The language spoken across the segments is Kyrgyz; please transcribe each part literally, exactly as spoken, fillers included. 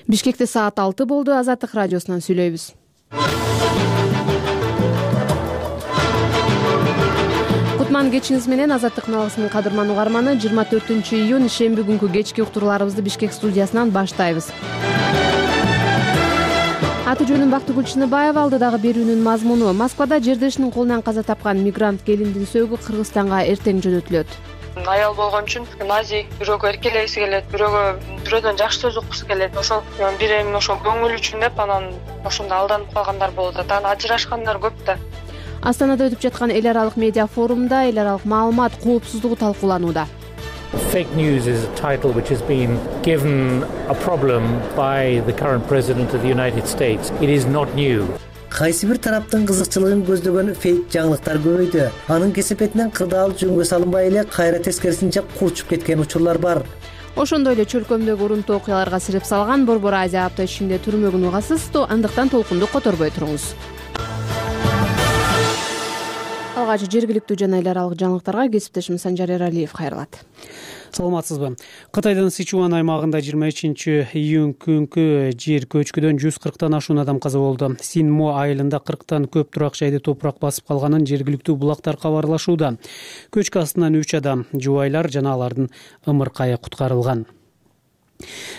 Бишкекте саат алты болду. Азаттык радиосунан сүйлөйбүз. Кутман кечиңиз менен. Азаттык налысынын кадырман угарманы. жыйырма төртүнчү июнь шемби күнкү кечки уктурууларыбызды Бишкек студиясынан баштайбыз. Аты жөнүм Бактыгүл Чыныбаева. Алдыдагы берүүнүн мазмуну: Москвада жердешинин колунан каза тапкан мигрант келиндин сөөгү Кыргызстанга эртең жөнөтүлөт. Аял болгон үчүн назик, бирөөгө эркелегиси келет, бирөөгө бирөөдөн жакшы сөз уккусу келет. Ошол бир эми ошол көңүл үчүн деп анан ошондо алданып калгандар болот. Анан ажырашкандар көп да. Астанада өтүп жаткан эл аралык медиа форумда эл аралык маалымат коопсуздугу талкууланууда. Fake news is a title which has been given a problem by the current president of the United States. It is not new. Кайсы бир тараптын кызыкчылыгын көздөгөн фейк жаңылыктар көбөйдү. Анын кесепетинен кырдаал жөнгө салынбай эле кайра тескерисинче курчуп кеткен учурлар бар. Ошондой эле чөлкөмдөгү урунтуу окуяларга сирип салган Борбор Азия апта ичинде түрмөгүн угасыз. Андыктан толкунду которбой туруңуз. Алгач жергиликтүү жана эл аралык жаңылыктарга кесиптешим Санжар Эралиев кайрылат. Саламатсызбы? Кытайдын Сычуан аймагында жыйырма үчүнчү июнь күнкү жер көчкүдөн жүз кырктан ашуун адам каза болду. Синмо айылында кырктан көп турак жайды топурак басып калганын жергиликтүү булактар кабарлашууда. Көчкү астынан үч адам, жубайлар жана алардын ымыркайы куткарылган.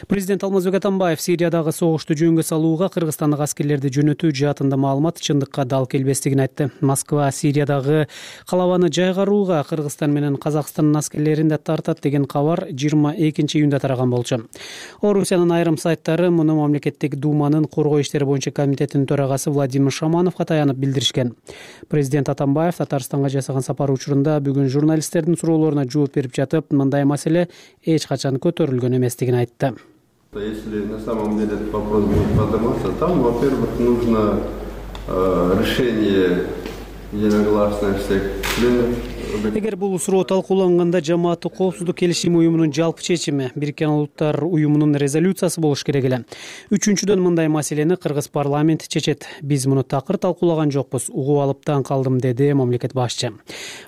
Президент Алмазбек Атамбаев Сириядагы согушту жөнгө салууга кыргызстандык аскерлерди жөнөтүү жаатында маалымат чындыкка дал келбестигин айтты. Москва Сириядагы калабаны жайгарууга Кыргызстан менен Казакстандын аскерлерин да тартат деген кабар жыйырма экинчи июнда тараган болчу. Орусиянын айрым сайттары муну мамлекеттик думанын коргоо иштери боюнча комитетинин төрагасы Владимир Шамановго таянып билдиришкен. Президент Атамбаев Татарстанга жасаган сапары учурунда бүгүн журналисттердин суроолоруна жооп берип жатып, мындай маселе эч качан көтөрүлгөн эместигин айтты. Если на самом деле этот вопрос будет подниматься, там, во-первых, нужно э, решение единогласное всех членов. Эгер бул суроо талкууланганда жамааттык коопсуздук келишим уюмунун жалпы чечими, Бириккен Улуттар уюмунун резолюциясы болуш керек эле. Үчүнчүдөн, мындай маселени кыргыз парламенти чечет. Биз муну такыр талкуулаган жокпуз. Угуп алып таң калдым, деди мамлекет башчы.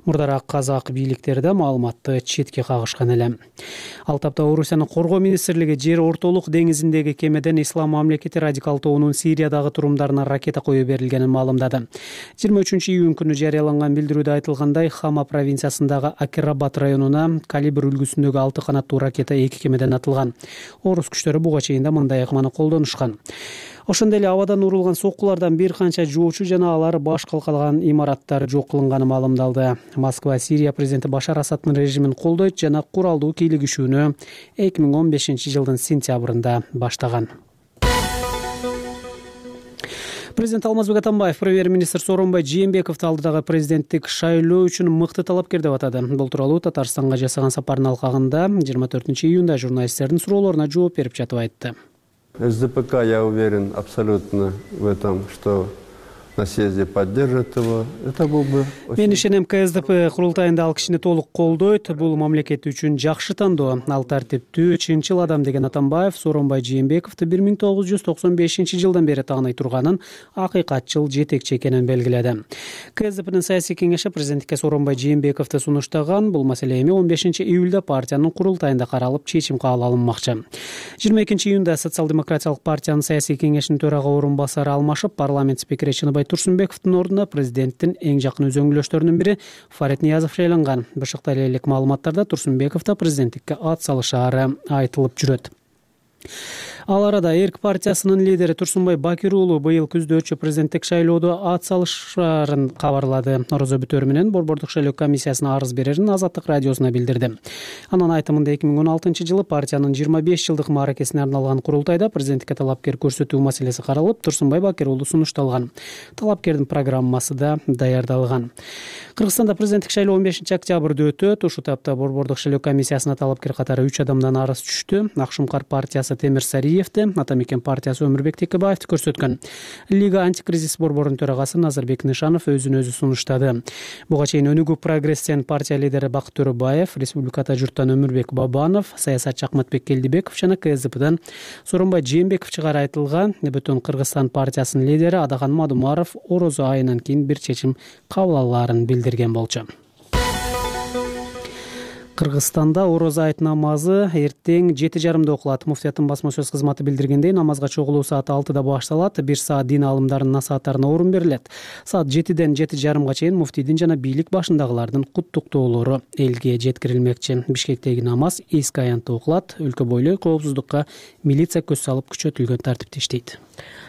Мурдараак казак бийликтери да маалыматты четке кагышкан эле. Ал тапта Орусиянын коргоо министрлиги жер ортолук деңизиндеги кемеден ислам мамлекети радикал тобунун Сириядагы турумдарына ракета кое берилгенин маалымдады. жыйырма үчүнчү июнь күнү жарыяланган билдирүүдө айтылгандай, Хама провинциясындагы Акирабад районуна калибр үлгүсүндөгү алты канаттуу ракета эки кемеден атылган. Орус күчтөрү буга чейин да мындай ыкманы колдонушкан. Ошондой эле абадан урулган соккулардан бир канча жоочу жана алар баш калкалган имараттар жок кылынганы маалымдалды. Москва Сирия президенти Башар Асаддын режимин колдойт жана куралдуу кийлигишүүнү эки миң он бешинчи жылдын сентябрында баштаган. Президент Алмазбек Атамбаев премьер-министр Сооронбай Жээнбековду алдыдагы президенттик шайлоо үчүн мыкты талапкер деп атады. Бул тууралуу Татарстанга жасаган сапарынын алкагында жыйырма төртүнчү июнда журналисттердин суроолоруна жооп берип жатып айтты. СДПК, я уверен абсолютно в этом, что на съезде поддержит его. Это был бы... Мен ишенем, КСДП курултайында ал кишини толук колдойт. Бул мамлекет үчүн жакшы тандоо. Ал тартиптүү, чынчыл адам, деген Атамбаев Сооронбай Жээнбековду бир миң тогуз жүз токсон бешинчи жылдан бери тааный турганын, акыйкатчыл жетекчи экенин белгиледи. КСДПнын саясий кеңеши президенттикке Сооронбай Жээнбековду сунуштаган. Бул маселе эми он бешинчи июлда партиянын курултайында каралып, чечим кабыл алынмакчы. жыйырма экинчи июнда Социал-демократиялык партиянын саясий кеңешинин төрага орун басары алмашып, парламент спикери Чыныбай Турсунбековдун ордуна президенттин эң жакын өзөңгүлөштөрүнүн бири Фарид Ниязов шайланган. Башакта элек маалыматтарда Турсунбеков да президенттикке ат салышаары айтылып жүрөт. Ал арада Эрк партиясынын лидери Турсунбай Бакир уулу быйыл күздө өтчү президенттик шайлоодо ат салышаарын кабарлады. Орозо бүтөөрү менен Борбордук шайлоо комиссиясына арыз берерин Азаттык радиосуна билдирди. Анын айтымында эки миң он алтынчы жылы партиянын жыйырма беш жылдык мааракесине арналган курултайда президенттикке талапкер көрсөтүү маселеси каралып, Турсунбай Бакир уулу сунушталган. Талапкердин программасы да даярдалган. Кыргызстанда президенттик шайлоо он бешинчи октябрда өтөт. Ушул тапта Борбордук шайлоо комиссиясына талапкер катары үч адамдан арыз түштү. Акшумкар партиясы Темир Сариевди, Атамекен партиясы Өмүрбек Текебаевди көрсөткөн. Лига антикризис борборунун төрагасы Назарбек Нышанов өзүн өзү сунуштады. Буга чейин Өнүгүү прогрессиянын партия лидери Бакыт Төрөбаев, Республиката журттан Өмүрбек Бабанов, саясатчы Акматбек Келдибеков жана КСДПдан Сооронбай Жээнбеков чыгары айтылган. Бүтүн Кыргызстан партиясынын лидери Адахан Мадумаров Орозо айынан кийин бир чечим кабыл алаарын билдирген болчу. Кыргызстанда Орозо айт намазы эртең жети жарымда окулат. Муфтияттын басма сөз кызматы билдиргендей, намазга чогулуу саат алтыда башталат. Бир саат дин алымдарынын насааттарына орун берилет. Саат жетиден жети жарымга чейин муфтийдин жана бийлик башындагылардын куттуктоолору элге жеткирилмекчи. Бишкектеги намаз эски аянтта окулат. Өлкө бойлой коопсуздукка милиция көз салып күчөтүлгөн тартипте иштейт.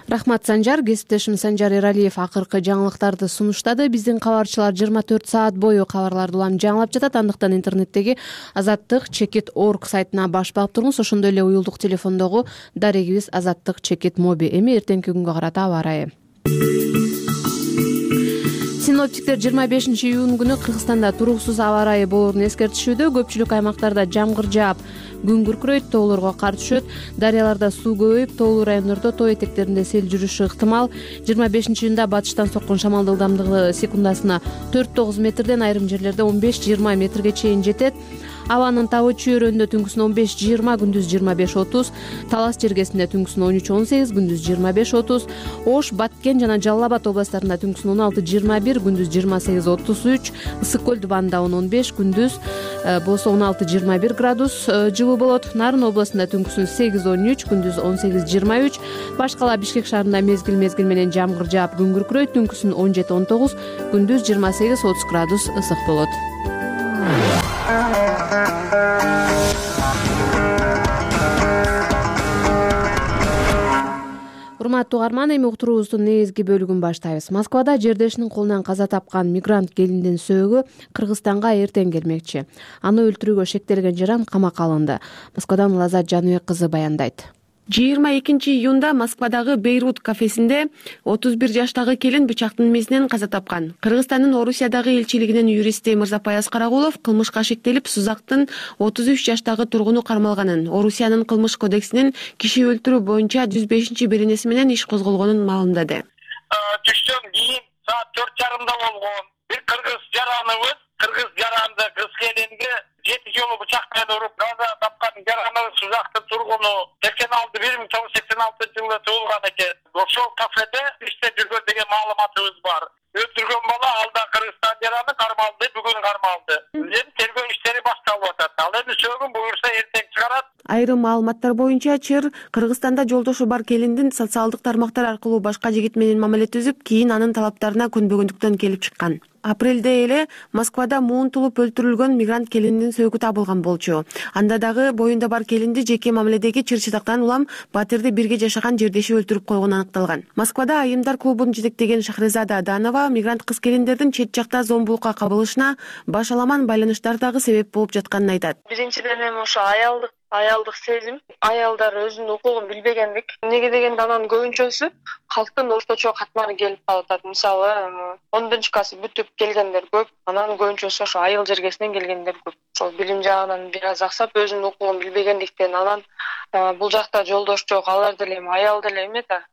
Рахмат, Санжар. Кесиптешим Санжар Эралиев акыркы жаңылыктарды сунуштады. Биздин кабарчылар жыйырма төрт саат бою кабарларды улам жаңылап жатат. Андыктан интернеттеги азаттык чекит орг сайтына баш багып туруңуз. Ошондой эле уюлдук телефондогу дарегибиз азаттык чекит моби. Эми эртеңки күнгө карата аба ырайы. Синоптиктер жыйырма бешинчи июнь күнү Кыргызстанда туруксуз аба ырайы болоорун эскертишүүдө. Көпчүлүк аймактарда жамгыр жаап, күн күркүрөйт, тоолорго кар түшөт, дарыяларда суу көбөйүп, тоолуу райондордо тоо этектеринде сел жүрүшү ыктымал. жыйырма бешинчи июнда батыштан соккон шамалдын ылдамдыгы секундасына төрт тогуз метрден, айрым жерлерде он беш жыйырма метрге чейин жетет. Абанын табы чөйрөндө түнкүсүн он беш жыйырма, күндүз жыйырма беш отуз, Талас жергесинде түнкүсүн он үч он сегиз, күндүз жыйырма беш отуз, Ош, Баткен жана Жалал Абад областарында түнкүсүн он алты жыйырма бир, күндүз жыйырма сегиз отуз үч, Ысык көл дубанында он он беш, күндүз болсо он алты жыйырма бир градус жылуу болот. Нарын областында түнкүсүн сегиз он үч, күндүз он сегиз жыйырма үч, Башкала Бишкек шаарында мезгил мезгил менен жамгыр жаап, күн күркүрөйт, түнкүсүн он жети он тогуз, күндүз жыйырма сегиз отуз градус ысык болот. Урматтуу угарман, эми уктуруубуздун негизги бөлүгүн баштайбыз. Москвада жердешинин колунан каза тапкан мигрант келиндин сөөгү Кыргызстанга эртең келмекчи. Аны өлтүрүүгө шектелген жаран камакка алынды. Москвадан Лазат Жаныбек кызы баяндайт. жыйырма экинчи июнда Москвадагы Бейрут кафесинде отуз бир жаштагы келин бычактын мезинен каза тапкан. Кыргызстандын Орусиядагы элчилигинин юристи Мырзапаяз Карагулов кылмышка шектелип, Сузактын отуз үч жаштагы тургуну кармалганын, Орусиянын кылмыш кодексинин киши өлтүрүү боюнча жүз бешинчи беренеси менен иш козголгонун маалымдады. Түштөн кийин саат төрт жарымда болгон. Бир кыргыз жараныбыз, кыргыз жаранды кыз келинге жети жолу бычак менен уруп каза тапкан жараныбыз Сузактын тургуну сексен алты бир миң тогуз жүз сексен алтынчы жылы туулган экен. Ошол кафеде иштеп жүргөн деген маалыматыбыз бар. Өлтүргөн бала алда Кыргызстан жараны кармалды, бүгүн кармалды. Эми тергөө иштери башталып атат. Ал эми сөөгүн буюрса эртең чыгарат. Айрым маалыматтар боюнча Чыр Кыргызстанда жолдошу бар келиндин социалдык тармактар аркылуу башка жигит менен мамиле түзүп, кийин анын талаптарына көнбөгөндүктөн келип чыккан. Апрелде эле Москвада муунтулуп өлтүрүлгөн мигрант келиндин сөөгү табылган болчу. Анда дагы боюнда бар келинди жеке мамиледеги чыр-чытактан улам батирди бирге жашаган жердеши өлтүрүп койгону аныкталган. Москвада айымдар клубун жетектеген Шахрезада Аданова мигрант кыз келиндердин чет жакта зомбулукка кабылышына баш аламан байланыштар дагы себеп болуп жатканын айтат. Биринчиден эми ошо аялдык аялдык сезим, аялдар өзүнүн укугун билбегендик. Эмнеге дегенде анан көбүнчөсү калктын орточо катманы келип калып. Мисалы, ондончу классы бүтүп келгендер көп, анан көбүнчөсү ошо айыл жергесинен келгендер көп. Ошол билим жагынан бир аз аксап, өзүнүн укугун билбегендиктен анан бул жакта жолдош жок, алар деле эми аял деле эме да,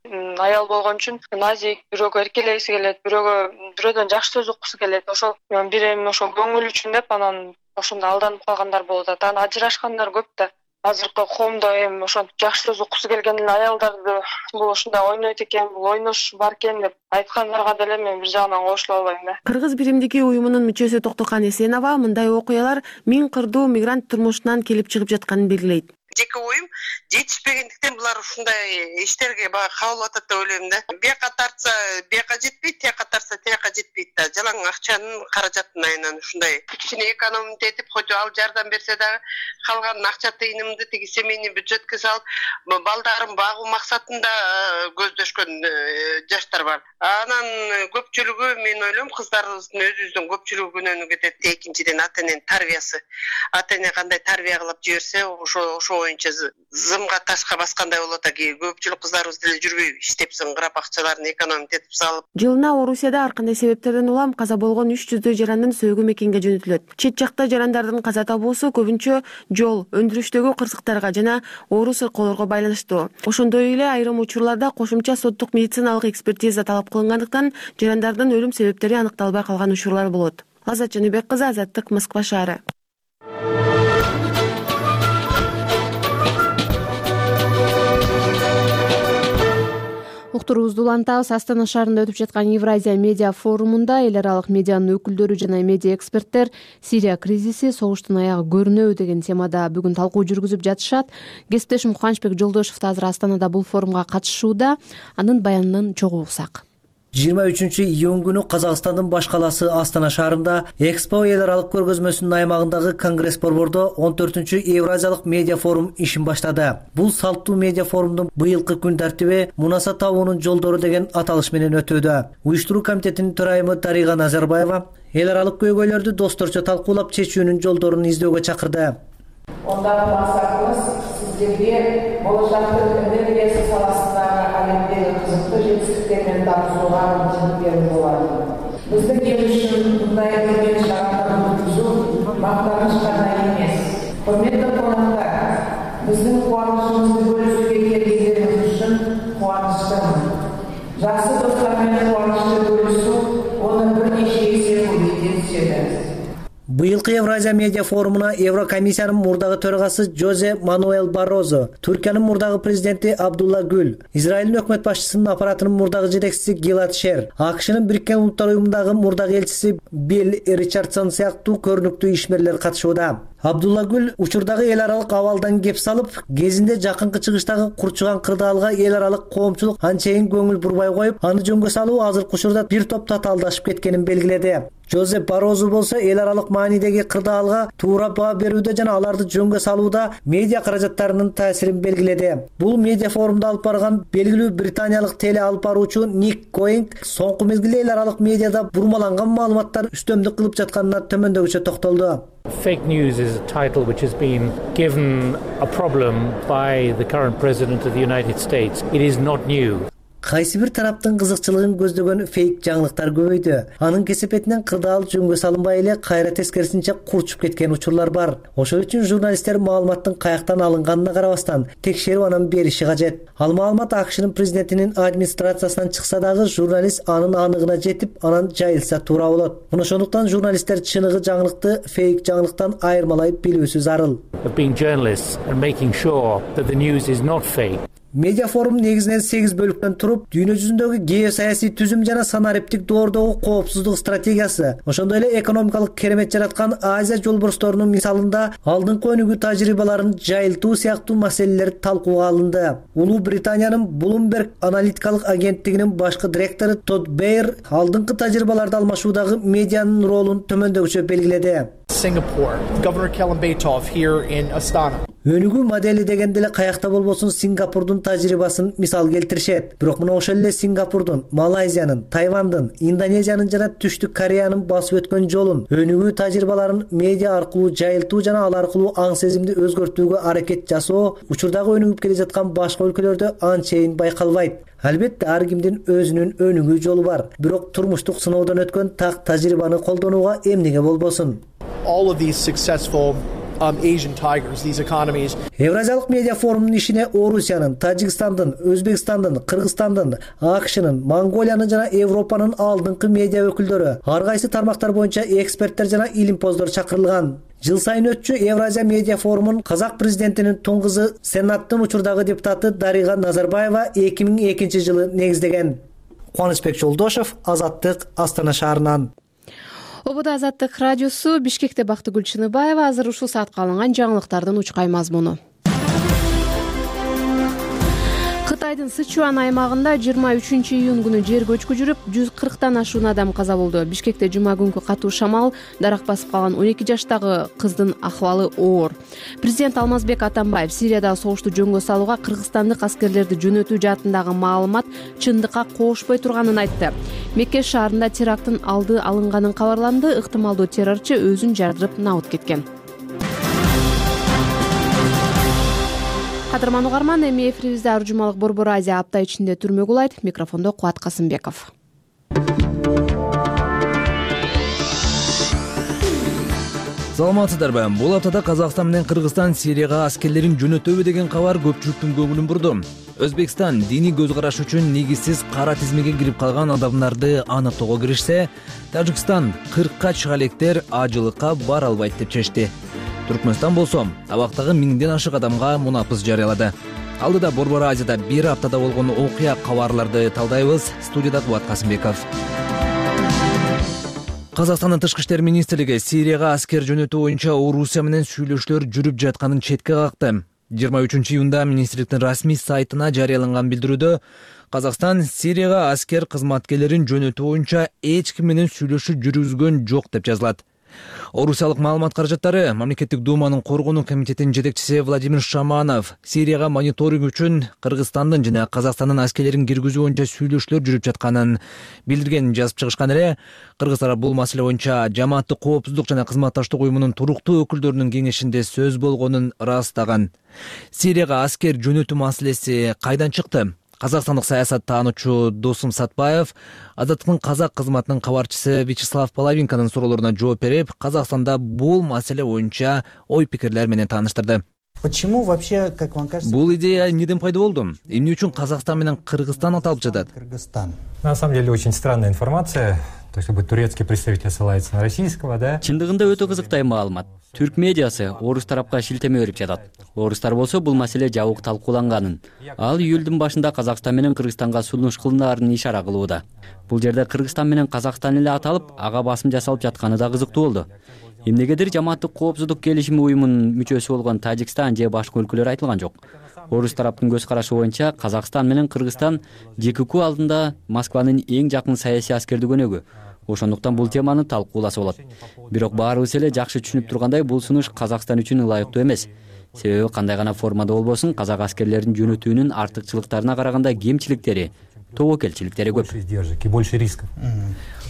аял болгон үчүн назик, бирөөгө эркелегиси келет, бирөөгө бирөөдөн жакшы сөз уккусу келет. Ошол бир эми ошо көңүл үчүн деп анан ошондо алданып калгандар болуп атат. Анан ажырашкандар көп да. Азыркы коомдо эми ошо жакшы сөз уккусу келген аялдарды бул ушундай ойнойт экен, бул ойнош бар экен деп айткандарга деле мен бир жагынан кошула албайм да. Кыргыз биримдиги уюмунун мүчөсү Токтокан Эсенова мындай окуялар миң кырдуу мигрант турмушунан келип чыгып жатканын белгилейт. Жеке оюм жетишпегендиктен булар ушундай иштерге баягы кабыл атат деп ойлойм да. Бияка тартса бияка жетпейт, тияка тартса тияка жетпейт да. Жалаң акчанын каражатын айынан ушундай кичине экономить этип, хоть ал жардам берсе дагы калган акча тыйынымды тиги семейный бюджетке салып, балдарын багуу максатында көздөшкөн жаштар бар. Анан көпчүлүгү мен ойлойм кыздарыбыздын өзүбүздүн көпчүлүгү күнөөнү кетет. Экинчиден ата эненин тарбиясы. Ата эне кандай тарбия кылып жиберсе, ошо ошо боюнча зымга ташка баскандай болот экен. Көпчүлүк кыздарыбыз деле жүрбөй иштеп зыңгырап акчаларын экономить этип салып. Жылына Орусияда ар кандай себептерден улам каза болгон үч жүздөй жарандын сөөгү мекенге жөнөтүлөт. Чет жакта жарандардын каза табуусу көбүнчө жол, өндүрүштөгү кырсыктарга жана оору сыркоолорго байланыштуу. Ошондой эле айрым учурларда кошумча соттук медициналык экспертиза талап кылынгандыктан жарандардын өлүм себептери аныкталбай калган учурлар болот. Лазат Жаныбек кызы, Азаттык, Москва шаары. уктуруубузду улантабыз. Астана шаарында өтүп жаткан Евразия медиа форумунда эл аралык медианын өкүлдөрү жана медиа эксперттер Сирия кризиси согуштун аягы көрүнөбү деген темада бүгүн талкуу жүргүзүп жатышат. Кесиптешим Кубанычбек Жолдошев да азыр Астанада бул форумга катышууда. Анын баянынан чогуу уксак. жыйырма үчүнчү июнь күнү Казакстандын баш калаасы Астана шаарында Экспо эл аралык көргөзмөсүнүн аймагындагы Конгресс борбордо он төртүнчү Евразиялык медиа форум ишин баштады. Бул салттуу медиа форумдун быйылкы күн тартиби Мунаса табуунун жолдору деген аталыш менен өтүүдө. Уюштуруу комитетинин төрайымы Дарига Назарбаева эл аралык көйгөйлөрдү досторчо талкуулап чечүүнүн жолдорун издөөгө чакырды. Ондагы максатыбыз сиздерге болочактын энергиясы саласындагы алемдеги кызыктуу жетишсиздиктер менен таанышууга мүмкүнчүлүк берүү болот. Биздин келишим мындай үлкен шаардарды өткүзүү мактаныч гана эмес. Құрметті қонақтар, биздин кубанычыбызды бөлүшүүгө келгениңиз үчүн кубанычтымын. Жакшы достор менен кубанычты бөлүшүү оны бир нече эсе көбөйтө түшөт. Быйылкы Евразия медиа форумуна Еврокомиссиянын мурдагы төрагасы Жозе Мануэл Баррозо, Түркиянын мурдагы президенти Абдулла Гүл, Израилдин өкмөт башчысынын аппаратынын мурдагы жетекчиси Гилад Шер, АКШнын Бириккен Улуттар уюмундагы мурдагы элчиси Билл Ричардсон сыяктуу көрүнүктүү ишмерлер катышууда. Абдулла Гүл учурдагы эл аралык абалдан кеп салып, кезинде жакынкы чыгыштагы курчуган кырдаалга эл аралык коомчулук анчейин көңүл бурбай коюп, аны жөнгө салуу азыркы учурда бир топ татаалдашып кеткенин белгиледи. Жозеп Барозу болсо эл аралык маанидеги кырдаалга туура баа берүүдө жана аларды жөнгө салууда медиа каражаттарынын таасирин белгиледи. Бул медиа форумду алып барган белгилүү британиялык теле алып баруучу Ник Коинг соңку мезгилде эл аралык медиада бурмаланган маалыматтар үстөмдүк кылып жатканына төмөндөгүчө токтолду. Fake news is a title which has been given a problem by the current president of the United States. It is not new. Кайсы бир тараптын кызыкчылыгын көздөгөн фейк жаңылыктар көбөйдү. Анын кесепетинен кырдаал жөнгө салынбай эле кайра тескерисинче курчуп кеткен учурлар бар. Ошол үчүн журналисттер маалыматтын каяктан алынганына карабастан текшерип анан бериши кажет. Ал маалымат АКШнын президентинин администрациясынан чыкса дагы журналист анын аныгына жетип, анан жайылса туура болот. Мына ошондуктан журналисттер чыныгы жаңылыкты фейк жаңылыктан айырмалай билүүсү зарыл. Being journalists and making sure that the news is not fake. Медиа форум негизинен сегиз бөлүктөн туруп, дүйнө жүзүндөгү геосаясий түзүм жана санариптик доордогу коопсуздук стратегиясы, ошондой эле экономикалык керемет жараткан Азия жолборсторунун мисалында алдыңкы өнүгүү тажрыйбаларын жайылтуу сыяктуу маселелер талкууга алынды. Улуу Британиянын Bloomberg аналитикалык агенттигинин башкы директору Тодд Бейер алдыңкы тажрыйбаларды алмашуудагы медианын ролун төмөндөгүчө белгиледи. Singapore, Governor Kelambeitov here in Astana. Өнүгүү модели дегенде эле каякта болбосун Сингапурдун тажрыйбасын мисал келтиришет. Бирок мына ошол эле Сингапурдун, Малайзиянын, Тайвандын, Индонезиянын жана Түштүк Кореянын басып өткөн жолун, өнүгүү тажрыйбаларын медиа аркылуу жайылтуу жана ал аркылуу аң сезимди өзгөртүүгө аракет жасоо учурдагы өнүгүп келе жаткан башка өлкөлөрдө анчейин байкалбайт. Албетте ар кимдин өзүнүн өнүгүү жолу бар. Бирок турмуштук сыноодон өткөн так тажрыйбаны колдонууга эмнеге болбосун? All of these successful Um, Asian tigers, these economies. Евразиялык медиа форумунун ишине Орусиянын, Тажикстандын, Өзбекстандын, Кыргызстандын, АКШнын, Монголиянын жана Европанын алдыңкы медиа өкүлдөрү, ар кайсы тармактар боюнча эксперттер жана илимпоздор чакырылган. Жыл сайын өтчү Евразия медиа форумун казак президентинин тун кызы, Сенаттын учурдагы депутаты Дарига Назарбаева эки миң экинчи жылы негиздеген. Кубанычбек Жолдошев, Азаттык, Астана шаарынан. Ободо Азаттык радиосу, Бишкекте Бактыгүл Чыныбаева. Азыр ушул саатка алынган жаңылыктардын учкай мазмуну. Кытайдын Сычуан аймагында жыйырма үчүнчү июнь күнү жер көчкү жүрүп, жүз кырктан ашуун адам каза болду. Бишкекте жума күнкү катуу шамал дарак басып калган он эки жаштагы кыздын акыбалы оор. Президент Алмазбек Атамбаев Сириядагы согушту жөнгө салууга кыргызстандык аскерлерди жөнөтүү жаатындагы маалымат чындыкка коошпой турганын айтты. Мекке шаарында теракттын алды алынганын кабарланды. Ыктымалдуу террорчу өзүн жардырып набыт кеткен. Кадырман угарман, эми эфирибизде ар жумалык Борбор Азия апта ичинде түрмө кулайт. Микрофондо Кубат Касымбеков. Саламатсыздарбы? Бул аптада Казакстан менен Кыргызстан Сирияга аскерлерин жөнөтөбү деген кабар көпчүлүктүн көңүлүн бурду. Өзбекстан диний көз караш үчүн негизсиз кара тизмеге кирип калган адамдарды аныктоого киришсе, Тажикстан кыркка чыга электер ажылыкка бара албайт деп чечти. Түркмөнстан болсо, абактагы миңден ашык адамга мунапыс жарыялады. Алдыда Борбор Азияда бир аптада болгон окуя кабарларды талдайбыз. Студияда Кубат Касымбеков. Казакстандын тышкы иштер министрлиги Сирияга аскер жөнөтүү боюнча Орусия менен сүйлөшүүлөр жүрүп жатканын четке какты. жыйырма үчүнчү июнда министрликтин расмий сайтына жарыяланган билдирүүдө Казакстан Сирияга аскер кызматкерлерин жөнөтүү боюнча эч ким менен сүйлөшүү жүргүзгөн жок деп жазылат. Орусиялык маалымат каражаттары Мамлекеттик думанын коргонуу комитетинин жетекчиси Владимир Шаманов Сирияга мониторинг үчүн Кыргызстандын жана Казакстандын аскерлерин киргизүү боюнча сүйлөшүүлөр жүрүп жатканын билдиргенин жазып чыгышкан эле. Кыргыз тарап бул маселе боюнча Жамааттык коопсуздук жана кызматташтык уюмунун туруктуу өкүлдөрүнүн кеңешинде сөз болгонун ырастаган. Сирияга аскер жөнөтүү маселеси кайдан чыкты? Казакстандык саясат таануучу Досум Сатпаев Азаттыктын казак кызматынын кабарчысы Вячеслав Половинканын суроолоруна жооп берип, Казакстанда бул маселе боюнча ой пикирлер менен тааныштырды. Почему вообще, как вам кажется, бул идея эмнеден пайда болду? Эмне үчүн Казакстан менен Кыргызстан аталып жатат? Кыргызстан. На самом деле очень странная информация. То есть, как бы турецкий представитель ссылается на российского, да? Чындыгында өтө кызыктай маалымат. Түрк медиасы орус тарапка шилтеме берип жатат. Орустар болсо бул маселе жабык талкууланганын. Ал июлдун башында Казакстан менен Кыргызстанга сунуш кылынаарын ишара кылууда. Бул жерде Кыргызстан менен Казакстан эле аталып, ага басым жасалып жатканы да кызыктуу болду. Эмнегедир Жамааттык коопсуздук келишими уюмунун мүчөсү болгон Тажикстан же башка өлкөлөр айтылган жок. Орус тараптын көз карашы боюнча Казакстан менен Кыргызстан ЖКК алдында Москванын эң жакын саясий аскердик өнөгү. Ошондуктан бул теманы талкууласа болот. Бирок баарыбыз эле жакшы түшүнүп тургандай, бул сунуш Казакстан үчүн ылайыктуу эмес. Себеби кандай гана формада болбосун, казак аскерлерин жөнөтүүнүн артыкчылыктарына караганда кемчиликтери, тобокелчиликтери көп. Больше рисков.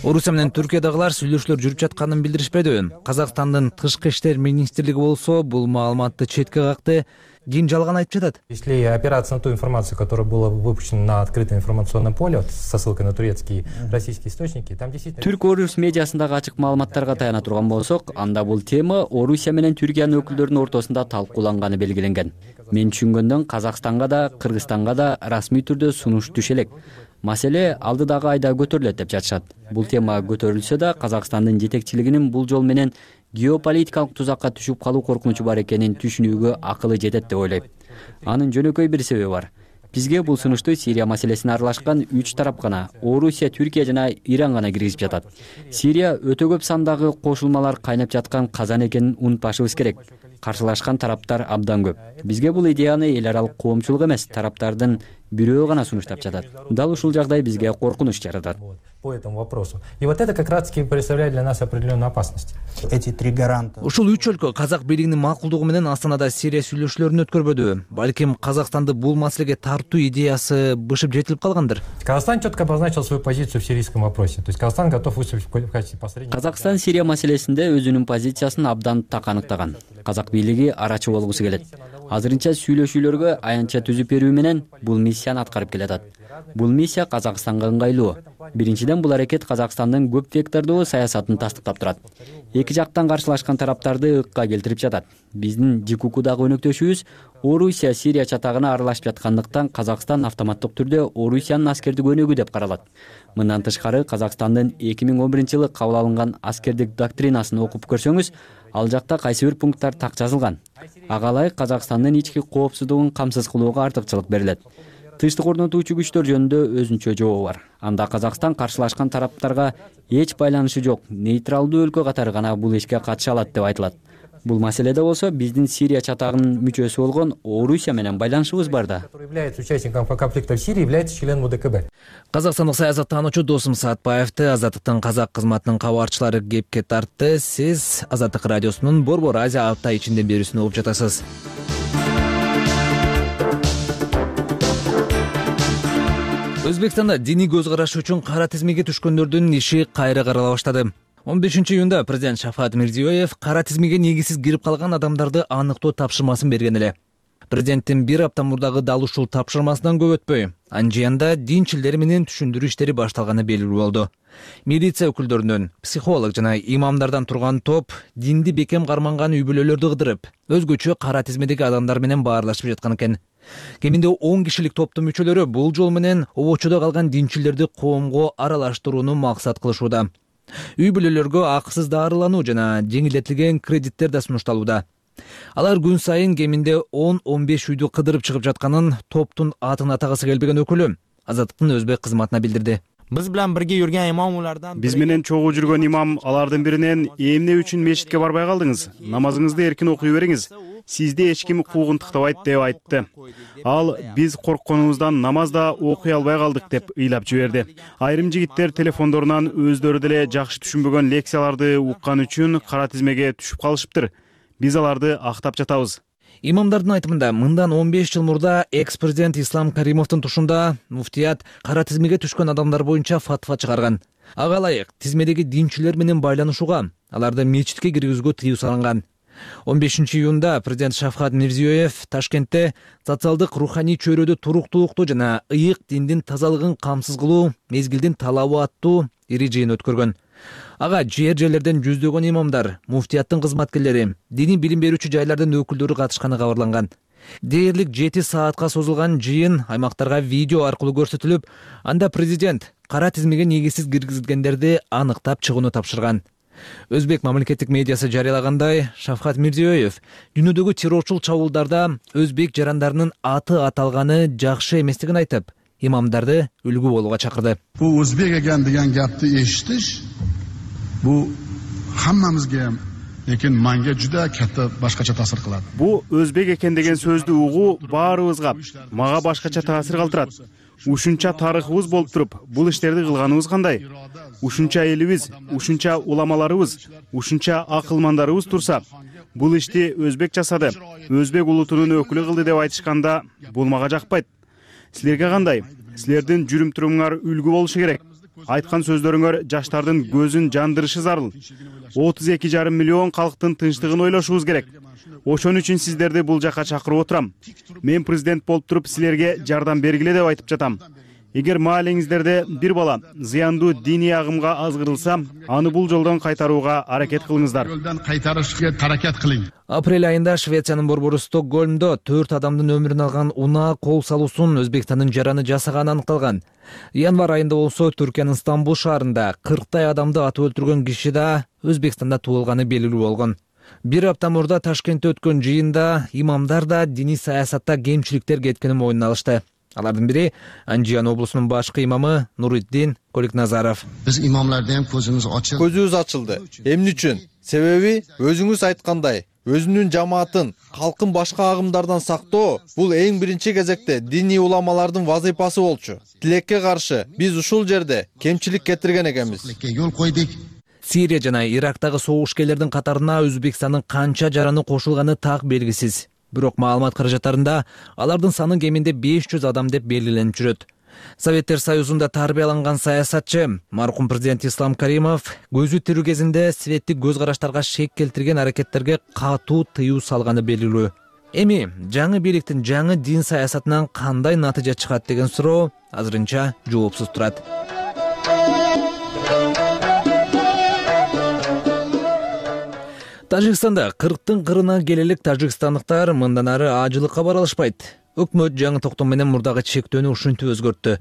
Орусия менен Түркиядагылар сүйлөшүүлөр жүрүп жатканын билдиришпеди. Казакстандын тышкы иштер министрлиги болсо бул маалыматты четке какты. Ким жалган айтып жатат? Если опираться на ту информацию, которая была выпущена на открытое информационное поле, вот, со ссылкой на турецкие, российские источники, там действительно... Түрк-орус медиасындагы ачык маалыматтарга таяна турган болсок, анда бул тема Орусия менен Түркиянын өкүлдөрүнүн ортосунда талкууланганы белгиленген. Мен түшүнгөндөн Казакстанга да, Кыргызстанга да расмий түрдө сунуш түшө элек. Маселе алдыдагы айда көтөрүлөт деп жатышат. Бул тема көтөрүлсө да, Казакстандын жетекчилигинин бул жол менен геополитикалык тузакка түшүп калуу коркунучу бар экенин түшүнүүгө акылы жетет деп ойлойм. Анын жөнөкөй бир себеби бар. Бизге бул сунушту Сирия маселесине аралашкан үч тарап гана, Орусия, Түркия жана Иран гана киргизип жатат. Сирия өтө көп сандагы кошулмалар кайнап жаткан казан экенин унутпашыбыз керек. Каршылашкан тараптар абдан көп. Бизге бул идеяны эл аралык коомчулук эмес, тараптардын бирөө гана сунуштап жатат. Дал ушул жагдай бизге коркунуч жаратат. По этому вопросу. И вот это как раз таки представляет для нас определенную опасность. Эти три гаранта. Ушул үч өлкө казак бийлигинин макулдугу менен Астанада Сирия сүйлөшүүлөрүн өткөрбөдү. Балким Казакстанды бул маселеге тартуу идеясы бышып жетилип калгандыр. Казахстан четко обозначил свою позицию в сирийском вопросе. То есть Казахстан готов выступить в качестве посредника. Казакстан Сирия маселесинде өзүнүн позициясын абдан так аныктаган. Казак бийлиги арачы болгусу келет. Азырынча сүйлөшүүлөргө аянтча түзүп берүү менен бул миссияны аткарып келатат. Бул миссия Казакстанга ыңгайлуу. Биринчиден, бул аракет Казакстандын көп вектордуу саясатын тастыктап турат. Эки жактан каршылашкан тараптарды ыкка келтирип жатат. Биздин ЖККдагы өнөктөшүбүз Орусия Сирия чатагына аралашып жаткандыктан Казакстан автоматтык түрдө Орусиянын аскердик өнөгү деп каралат. Мындан тышкары Казакстандын эки миң он биринчи жылы кабыл алынган аскердик доктринасын окуп көрсөңүз, ал жакта кайсы бир пункттар так жазылган. Ага ылайык Казакстандын ички коопсуздугун камсыз кылууга артыкчылык берилет. Тынчтык орнотуучу күчтөр жөнүндө өзүнчө жообу бар. Анда Казакстан каршылашкан тараптарга эч байланышы жок, нейтралдуу өлкө катары гана бул ишке катыша алат деп айтылат. Бул маселеде болсо биздин Сирия чатагынын мүчөсү болгон Орусия менен байланышыбыз бар да. Который является участником конфликта в Сирии, является членом УДКБ. Казакстандык саясаттануучу Досум Саатбаевди Азаттыктын казак кызматынын кабарчылары кепке тартты. Сиз Азаттык радиосунун Борбор Азия апта ичинде берүүсүн угуп жатасыз. Өзбекстанда диний көз караш үчүн кара тизмеге түшкөндөрдүн иши кайра карала баштады. он бешинчи июнда президент Шафкат Мирзиёев кара тизмеге негизсиз кирип калган адамдарды аныктоо тапшырмасын берген эле. Президенттин бир апта мурдагы дал ушул тапшырмасынан көп өтпөй, анжыянда динчилдер менен түшүндүрүү иштери башталганы белгилүү болду. Милиция өкүлдөрүнөн, психолог жана имамдардан турган топ динди бекем карманган үй бүлөлөрдү кыдырып, өзгөчө кара тизмедеги адамдар менен баарлашып жаткан экен. Кеминде он кишилик топтун мүчөлөрү бул жол менен обочодо калган динчилдерди коомго аралаштырууну максат кылышууда. Үй бүлөлөргө акысыз дарылануу жана жеңилдетилген кредиттер да сунушталууда. Алар күн сайын кеминде он он беш үйдү кыдырып чыгып жатканын топтун атын атагысы келбеген өкүлү Азаттыктын өзбек кызматына билдирди. Биз менен бирге жүргөн имамулардан Биз менен чогуу жүргөн имам алардын биринен эмне үчүн мечитке барбай калдыңыз? Намазыңызды эркин окуй бериңиз. Сизди эч ким куугун тыктабайт деп айтты. Ал биз коркконубуздан намаз да окуй албай калдык деп ыйлап жиберди. Айрым жигиттер телефондорунан өздөрү деле жакшы түшүнбөгөн лекцияларды уккан үчүн кара тизмеге түшүп калышыптыр. Биз аларды актап жатабыз. Имамдардын айтымында мындан он беш жыл мурда экс-президент Ислам Каримовдун тушунда муфтият кара тизмеге түшкөн адамдар боюнча фатва чыгарган. Ага ылайык тизмедеги динчилер менен байланышууга, аларды мечитке киргизүүгө тыюу салынган. он бешинчи июнда президент Шавкат Мирзиёев Ташкентте социалдык руханий чөйрөдө туруктуулукту жана ыйык диндин тазалыгын камсыз кылуу мезгилдин талабы аттуу ири жыйын өткөргөн. Ага жер жерлерден жүздөгөн имамдар, муфтияттын кызматкерлери, диний билим берүүчү жайлардын өкүлдөрү катышканы кабарланган. Дээрлик жети саатка созулган жыйын аймактарга видео аркылуу көрсөтүлүп, анда президент кара тизмеге негизсиз киргизилгендерди аныктап чыгууну тапшырган. Өзбек мамлекеттик медиасы жарыялагандай, Шавкат Мирзиёев дүйнөдөгү террорчул чабуулдарда өзбек жарандарынын аты аталганы жакшы эместигин айтып, имамдарды үлгү болууга чакырды. Бул өзбек экен деген гапты эшитиш, бул хаммамызга ham, lekin menga juda katta boshqacha ta'sir qiladi. Бу өзбек экен деген сөздү угуу баарыбызга, мага башкача таасир калтырат. Ушунча тарыхыбыз болуп туруп, бул иштерди кылганыбыз кандай? Ушунча элибиз, ушунча уламаларыбыз, ушунча акылмандарыбыз турса, бул ишти өзбек жасады, өзбек улутунун өкүлү кылды деп айтышканда, бул мага жакпайт. Силерге кандай? Силердин жүрүм-турумуңар үлгү болушу керек. Айткан сөздөрүңөр жаштардын көзүн жандырышы зарыл. отуз эки жарым миллион калктын тынчтыгын ойлошубуз керек. Ошон үчүн сиздерди бул жака чакырып отурам. Мен президент болуп туруп силерге жардам бергиле деп айтып жатам. Эгер маалеңиздерде бир бала зыяндуу диний агымга азгырылса, аны бул жолдон кайтарууга аракет кылыңыздар. Жолдон кайтарышка аракет кылың. Апрель айында Швециянын борбору Стокгольмдо төрт адамдын өмүрүн алган унаа кол салуусун Өзбекстандын жараны жасаганы аныкталган. Январь айында болсо Түркиянын Стамбул шаарында кырктай адамды атып өлтүргөн киши да Өзбекстанда туулганы белгилүү болгон. Бир апта мурда Ташкентте өткөн жыйында имамдар да диний саясатта кемчиликтер кеткенин мойнуна алышты. Алардын бири Анжиян облусунун башкы имамы Нуриддин Коликназаров. Биз имамларда ham көзүбүз ачылды. Көзүбүз ачылды. Эмне үчүн? Себеби өзүңүз айткандай, өзүнүн жамаатын, калкын башка агымдардан сактоо бул эң биринчи кезекте диний уламалардын вазыйпасы болчу. Тилекке каршы биз ушул жерде кемчилик кетирген экенбиз. Жол койдук. Сирия жана Ирактагы согушкерлердин катарына Өзбекстандын канча жараны кошулганы так белгисиз. Бирок маалымат каражаттарында алардын саны кеминде беш жүз адам деп белгиленип жүрөт. Советтер Союзунда тарбияланган саясатчы маркум президент Ислам Каримов көзү тирүү кезинде светтик көз караштарга шек келтирген аракеттерге катуу тыюу салганы белгилүү. Эми жаңы бийликтин жаңы дин саясатынан кандай натыйжа чыгат деген суроо азырынча жоопсуз турат. Тажикстанда кырктын кырына келелик тажикстандыктар мындан ары ажылыкка бара алышпайт. Өкмөт жаңы токтом менен мурдагы чектөөнү ушинтип өзгөрттү.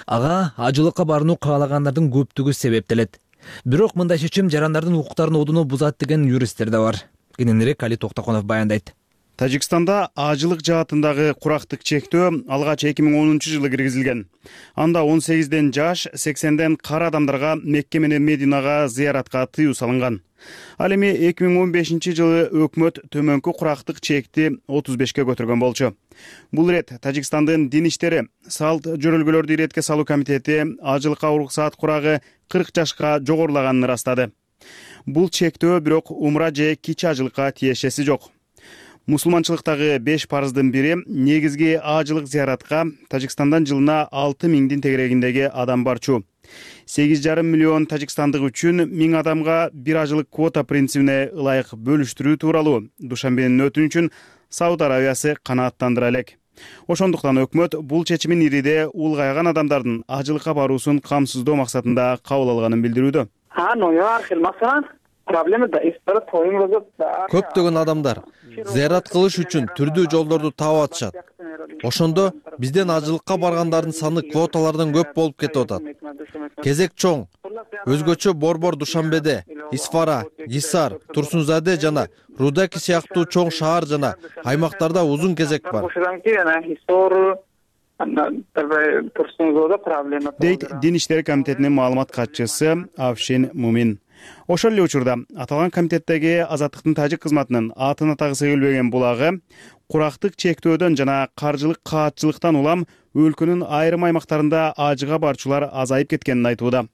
Ага ажылыкка барууну каалагандардын көптүгү себептелет. Бирок мындай чечим жарандардын укуктарын одуну бузат деген юристтер да бар. Кененирээк Али Токтоконов баяндайт. Тажикстанда ажылык жаатындагы курактык чектөө алгач эки миң онунчу жылы киргизилген. Анда он сегизден жаш, сексенден кара адамдарга Мекке менен Мединага зыяратка тыюу салынган. Ал эми эки миң он бешинчи жылы өкмөт төмөнкү курактык чекти отуз бешке көтөргөн болчу. Бул ирет Тажикстандын дин иштери, салт жөрөлгөлөрдү иретке салуу комитети ажылыкка уруксаат курагы кырк жашка жогорулаганын ырастады. Бул чектөө бирок умра же кичи ажылыкка тиешеси жок. Мусулманчылыктагы беш парыздын бири негизги ажылык зыяратка Тажикстандан жылына алты миңдин тегерегиндеги адам барчу. сегиз жарым миллион тажикстандык үчүн миң адамга бир ажылык квота принцибине ылайык бөлүштүрүү тууралуу Душанбенин өтүнүчүн Сауд Арабиясы канааттандыра элек. Ошондуктан өкмөт бул чечимин ириде улгайган адамдардын ажылыкка баруусун камсыздоо максатында кабыл алганын билдирүүдө. Көптөгөн адамдар зыярат кылыш үчүн түрдүү жолдорду таап атышат. Ошондо бизден ажылыкка баргандардын саны квоталардан көп болуп кетип атат. Кезек чоң. Өзгөчө Борбор Душанбеде Исфара, Гисар, Турсунзаде жана Рудаки сыяктуу чоң шаар жана аймактарда узун кезек бар. Дейт Дин иштери комитетинин маалымат катчысы Авшин Мумин. Ошол эле учурда аталган комитеттеги Азаттыктын тажик кызматынын атын атагысы келбеген булагы курактык чектөөдөн жана каржылык каатчылыктан улам өлкөнүн айрым аймактарында ажыга барчулар азайып кеткенин айтууда.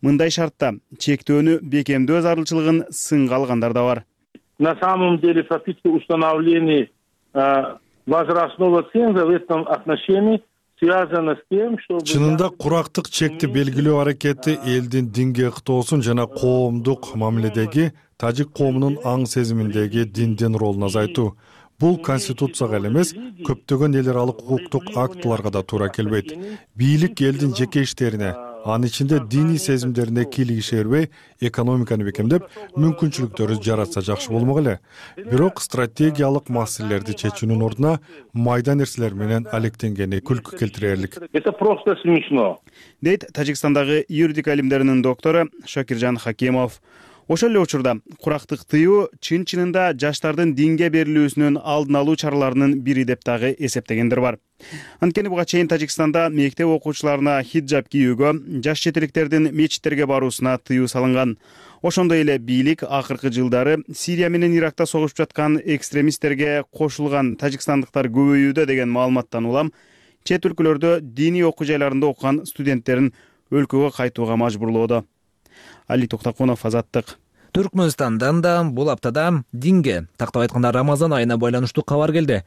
Мындай шартта чектөөнү бекемдөө зарылчылыгын сынга алгандар да бар. На самом деле фактически установление возрастного ценза в этом отношении связано с тем, что чынында курактык чекти белгилөө аракети элдин динге ыктоосун жана коомдук мамиледеги тажик коомунун аң сезиминдеги диндин ролун азайтуу. Бул конституцияга эле эмес, көптөгөн эл аралык укуктук актыларга да туура келбейт. Бийлик элдин жеке иштерине, анын ичинде диний сезимдерине кийлигише бербей, экономиканы бекемдеп, мүмкүнчүлүктөрү жаратса жакшы болмок эле. Бирок стратегиялык маселелерди чечүүнүн ордуна майда нерселер менен алектенгени күлкү келтирерлик. Это просто смешно. Дейт Тажикстандагы юридика илимдеринин доктору Шакиржан Хакимов. Ошол эле учурда курактык тыюу чын-чынында жаштардын динге берилүүсүнүн алдын алуу чараларынын бири деп дагы эсептегендер бар. Анткени буга чейин Тажикстанда мектеп окуучуларына хиджаб кийүүгө, жаш четеликтердин мечиттерге баруусуна тыюу салынган. Ошондой эле бийлик акыркы жылдары Сирия менен Иракта согушуп жаткан экстремисттерге кошулган тажикстандыктар көбөйүүдө деген маалыматтан улам чет өлкөлөрдө диний окуу жайларында окуган студенттерин өлкөгө кайтууга мажбурлоодо. Али Токтакунов, Азаттык. Түркмөнстандан да бул аптада динге, тактап айтканда Рамазан айына байланыштуу кабар келди.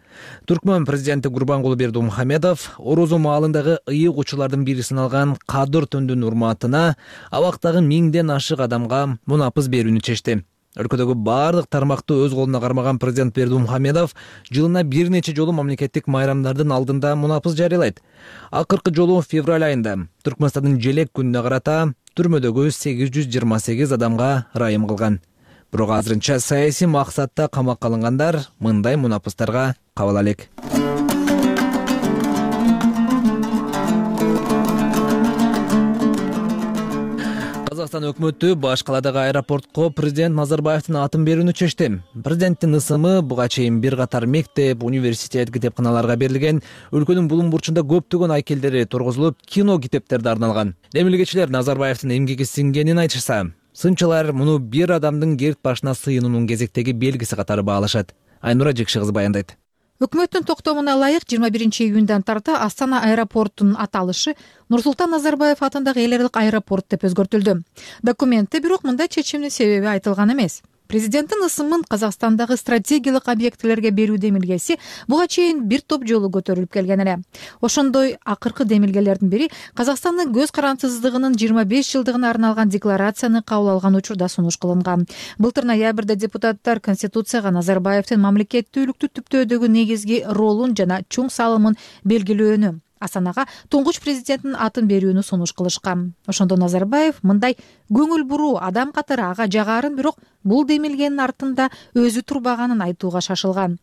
Түркмөн президенти Гурбангулы Бердимухамедов орозо маалындагы ыйык учуулардын бири саналган Кадыр түндүн урматына абактагы миңден ашык адамга мунапыс берүүнү чечти. Өлкөдөгү бардык тармакты өз колуна кармаган президент Бердимухамедов жылына бир нече жолу мамлекеттик майрамдардын алдында мунапыс жарыялайт. Акыркы жолу февраль айында Түркмөнстандын желек күнүнө карата түрмөдөгү сегиз жүз жыйырма сегиз адамга ырайым кылган. Бирок азырынча саясий максатта камакка алынгандар мындай мунапыстарга кабыл элек. Казакстан өкмөтү баш каладагы аэропортко президент Назарбаевдин атын берүүнү чечти. Президенттин ысымы буга чейин бир катар мектеп, университет, китепканаларга берилген, өлкөнүн булуң бурчунда көптөгөн айкелдери тургузулуп, кино китептерди арналган. Демилгечилер Назарбаевдин эмгеги сиңгенин айтышса, сынчылар муну бир адамдын керт башына сыйынуунун кезектеги белгиси катары баалашат. Айнура Жекши кызы баяндайт. Өкмөттүн токтомуна ылайык жыйырма биринчи июндан тарта Астана аэропортунун аталышы Нурсултан Назарбаев атындагы эл аралык аэропорт деп өзгөртүлдү. Документте бирок мындай чечимдин себеби айтылган эмес. Президенттин ысымын Казакстандагы стратегиялык объектилерге берүү демилгеси буга чейин бир топ жолу көтөрүлүп келген эле. Ошондой акыркы демилгелердин бири Казакстандын көз карандысыздыгынын жыйырма беш жылдыгына арналган декларацияны кабыл алган учурда сунуш кылынган. Былтыр ноябрда депутаттар Конституцияга Назарбаевдин мамлекеттүүлүктү түптөөдөгү негизги ролун жана чоң салымын белгилөөнү, Астанага туңгуч президенттин атын берүүнү сунуш кылышкан. Ошондо Назарбаев мындай көңүл буруу адам катары ага жагарын, бирок бул демилгенин артында өзү турбаганын айтууга шашылган.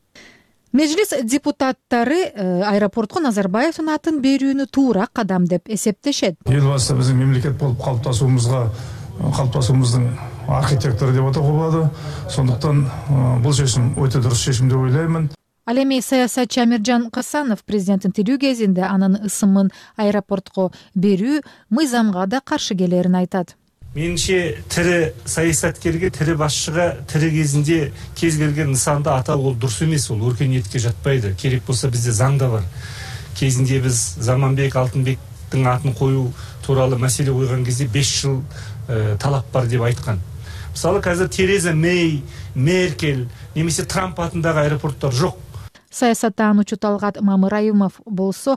Мejlis депутаттары аэропортко Назарбаевдин атын берүүнү туура кадам деп эсептешет. Эл башта биздин мемлекет болуп калыптасуубузга калыптасуубуздун архитектору деп атауга болот. Сондуктан бул чечим өтө дурус чечим деп ойлоймун. Ал эми саясатчы Амиржан Касанов президенттин тирүү кезинде анын ысымын аэропортко берүү мыйзамга да каршы келерин айтат. Менимче тири саясаткерге, тири башчыга тири кезинде кез келген нысанда атау бул дурус эмес, бул өркөнияткө жатпайды. Керек болсо бизде заңда бар. Кезинде биз Заманбек Алтынбектин атын коюу тууралуу маселе койгон кезде беш жыл талап бар деп айткан. Мисалы азыр Тереза Мэй, Меркель немесе Трамп атындагы аэропорттор жок. Саясаттануучу Талгат Мамыраимов болсо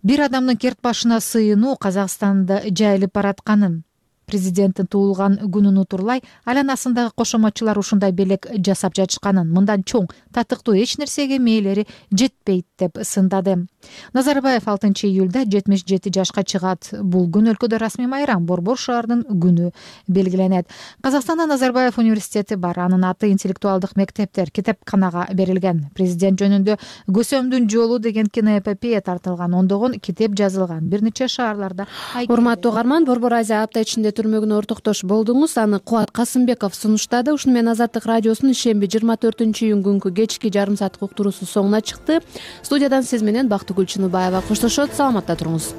бир адамдын керт башына сыйынуу Казакстанда жайылып баратканын, президенттин туулган күнүн утурлай айланасындагы кошоматчылар ушундай белек жасап жатышканын, мындан чоң татыктуу эч нерсеге мээлери жетпейт деп сындады. Назарбаев алтынчы июлда жетимиш жети жашка чыгат. Бул күн өлкөдө расмий майрам, Борбор шаарынын күнү белгиленет. Казакстанда Назарбаев университети бар. Анын аты интеллектуалдык мектептер, китепканага берилген. Президент жөнүндө Көсөмдүн жолу деген киноэпопея тартылган, ондогон китеп жазылган. Бир нече шаарларда. Урматтуу угарман, Борбор Азия апта ичинде түрмөгүнө ортоктош болдуңуз. Аны Кубат Касымбеков сунуштады. Ушуну менен Азаттык радиосунун ишемби жыйырма төртүнчү июнь күнкү кечки жарым сааттык уктуруусу соңуна чыкты. Студиядан сиз менен Бактыгүл Чыныбаева коштошот. Саламатта туруңуз.